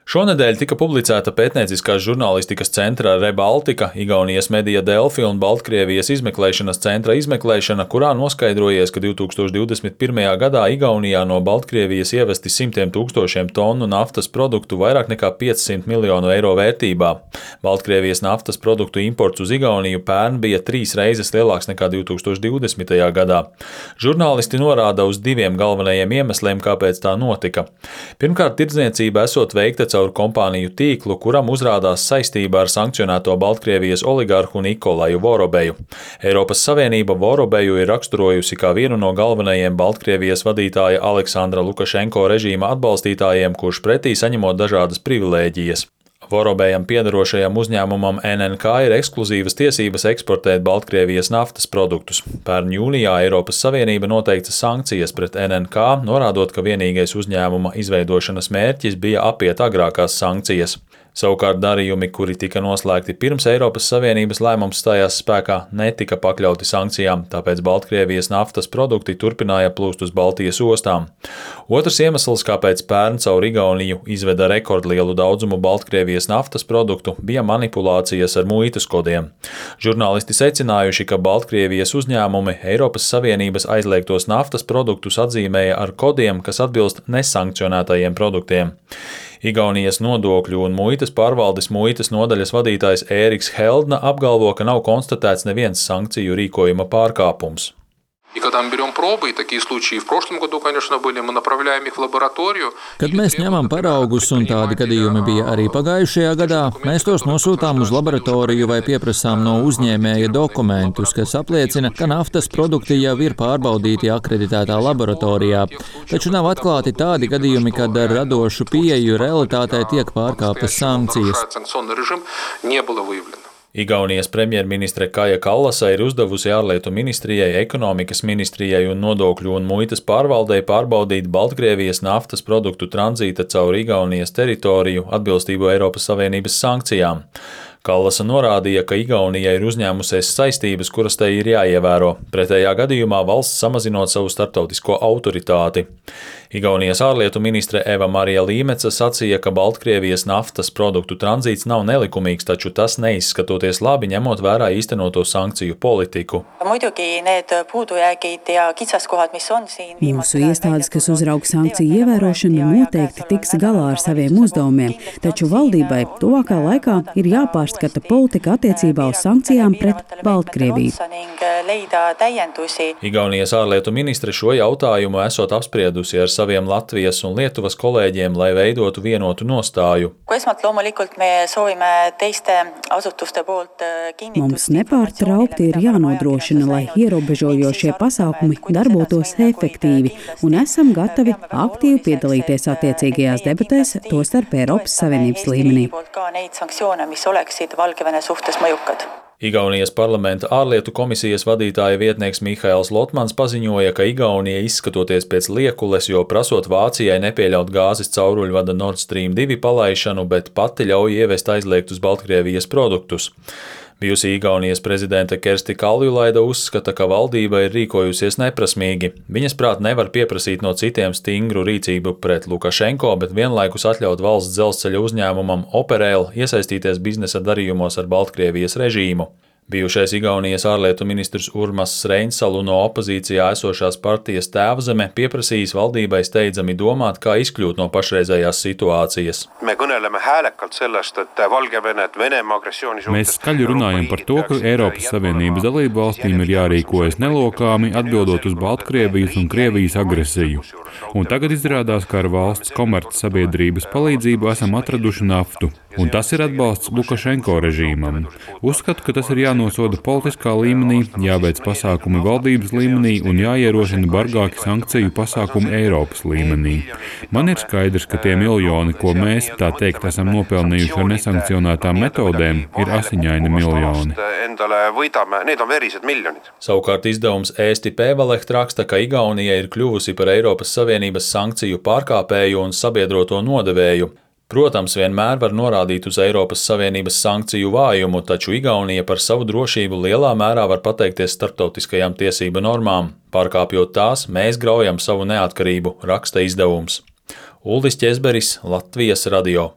Šonedēļ tika publicēta pētnieciskās žurnālistikas centra Rebaltika, Igaunijas Media Delfi un Baltkrievijas izmeklēšanas centra izmeklēšana, kurā noskaidrojies, ka 2021. gadā Igaunijā no Baltkrievijas ievesti simtiem tūkstošiem tonu naftas produktu vairāk nekā 500 miljonu eiro vērtībā. Baltkrievijas naftas produktu imports uz Igauniju pērn bija 3 reizes lielāks nekā 2020. gadā. Žurnālisti norāda uz 2 galvenajiem iemesliem, kāpēc tā notika. Pirmkārt, tirdzniecība esot veikta caur kompāniju tīklu, kuram uzrādās saistība ar sankcionēto Baltkrievijas oligarhu Nikolaju Vorobeju. Eiropas Savienība Vorobeju ir raksturojusi kā vienu no galvenajiem Baltkrievijas vadītāja Aleksandra Lukašenko režīma atbalstītājiem, kurš pretī saņemot dažādas privilēģijas. Vorobejam piederošajam uzņēmumam NNK ir ekskluzīvas tiesības eksportēt Baltkrievijas naftas produktus. Pērn jūlijā Eiropas Savienība noteica sankcijas pret NNK, norādot, ka vienīgais uzņēmuma izveidošanas mērķis bija apiet agrākās sankcijas. Savukārt darījumi, kuri tika noslēgti pirms Eiropas Savienības lēmums stājās spēkā, netika pakļauti sankcijām, tāpēc Baltkrievijas naftas produkti turpināja plūst uz Baltijas ostām. Otrs iemesls, kāpēc pērn caur Igauniju izveda rekordlielu daudzumu Baltkrievijas naftas produktu, bija manipulācijas ar muitas kodiem. Žurnālisti secinājuši, ka Baltkrievijas uzņēmumi Eiropas Savienības aizliegtos naftas produktus atzīmēja ar kodiem, kas atbilst nesankcionētajiem produktiem. Igaunijas nodokļu un muitas pārvaldes muitas nodaļas vadītājs Ēriks Heldna apgalvo, ka nav konstatēts neviens sankciju rīkojuma pārkāpums. Kad mēs ņemam paraugus, un tādi gadījumi bija arī pagājušajā gadā, mēs tos nosūtām uz laboratoriju vai pieprasām no uzņēmēja dokumentus, kas apliecina, ka naftas produkti jau ir pārbaudīti akreditētā laboratorijā. Taču nav atklāti tādi gadījumi, kad ar radošu pieeju realitātei tiek pārkāptas sankcijas. Igaunijas premjerministre Kaja Kallasa ir uzdevusi ārlietu ministrijai, ekonomikas ministrijai un nodokļu un muitas pārvaldei pārbaudīt Baltkrievijas naftas produktu tranzīta caur Igaunijas teritoriju atbilstību Eiropas Savienības sankcijām. Kallasa norādīja, ka Igaunija ir uzņēmusies saistības, kuras tai ir jāievēro, pretējā gadījumā valsts samazinot savu starptautisko autoritāti. Igaunijas ārlietu ministre Eva Marija Līmeca sacīja, ka Baltkrievijas naftas produktu tranzīts nav nelikumīgs, taču tas neizskatoties labi, ņemot vērā īstenoto sankciju politiku. Mūsu iestādes, kas uzraug sankciju ievērošanu, noteikti tiks galā ar saviem uzdevumiem, taču valdībai tuvākā laikā ir jāpārskata politika attiecībā uz sankcijām pret Baltkrieviju. Igaunijas ārlietu ministre šo jautājumu esot apspriedusi ar saviem Latvijas un Lietuvas kolēģiem, lai veidotu vienotu nostāju. Mums nepārtraukti ir jānodrošina, lai ierobežojošie pasākumi darbotos efektīvi, un esam gatavi aktīvi piedalīties attiecīgajās debatēs, tostarp Eiropas Savienības līmenī. Igaunijas parlamenta ārlietu komisijas vadītāja vietnieks Mihails Lotmans paziņoja, ka Igaunija izskatoties pēc liekules, jo prasot Vācijai nepieļaut gāzes cauruļvada Nord Stream 2 palaišanu, bet pati ļauj ievest aizliegtus Baltkrievijas produktus. Bijusī Igaunijas prezidente Kersti Kaljulaida uzskata, ka valdība ir rīkojusies neprasmīgi. Viņas prāt nevar pieprasīt no citiem stingru rīcību pret Lukašenko, bet vienlaikus atļaut valsts dzelzceļa uzņēmumam Operail iesaistīties biznesa darījumos ar Baltkrievijas režīmu. Bijušais Igaunijas ārlietu ministrs Urmas Reinsalu no opozīcijā esošās partijas Tēvzeme pieprasījis valdībai steidzami domāt, kā izkļūt no pašreizējās situācijas. Mēs skaļi runājam par to, ka Eiropas Savienības dalību valstīm ir jārīkojas nelokāmi, atbildot uz Baltkrievijas un Krievijas agresiju. Un tagad izrādās, ka ar valsts komercsabiedrības palīdzību esam atraduši naftu. Un tas ir atbalsts Lukašenko režīmam. Uzskatu, ka tas ir jānosoda politiskā līmenī, jāveic pasākumi valdības līmenī un jāierosina bargāki sankciju pasākumi Eiropas līmenī. Man ir skaidrs, ka tie miljoni, ko mēs, tā teikt, esam nopelnījuši ar nesankcionētām metodēm, ir asiņaini miljoni. Savukārt izdevums Eesti Päevalehts raksta, ka Igaunija ir kļuvusi par Eiropas Savienības sankciju pārkāpēju un sabiedroto nodevēju. Protams, vienmēr var norādīt uz Eiropas Savienības sankciju vājumu, taču Igaunija par savu drošību lielā mērā var pateikties starptautiskajām tiesību normām. Pārkāpjot tās, mēs graujam savu neatkarību, raksta izdevums. Uldis Ķezberis, Latvijas radio.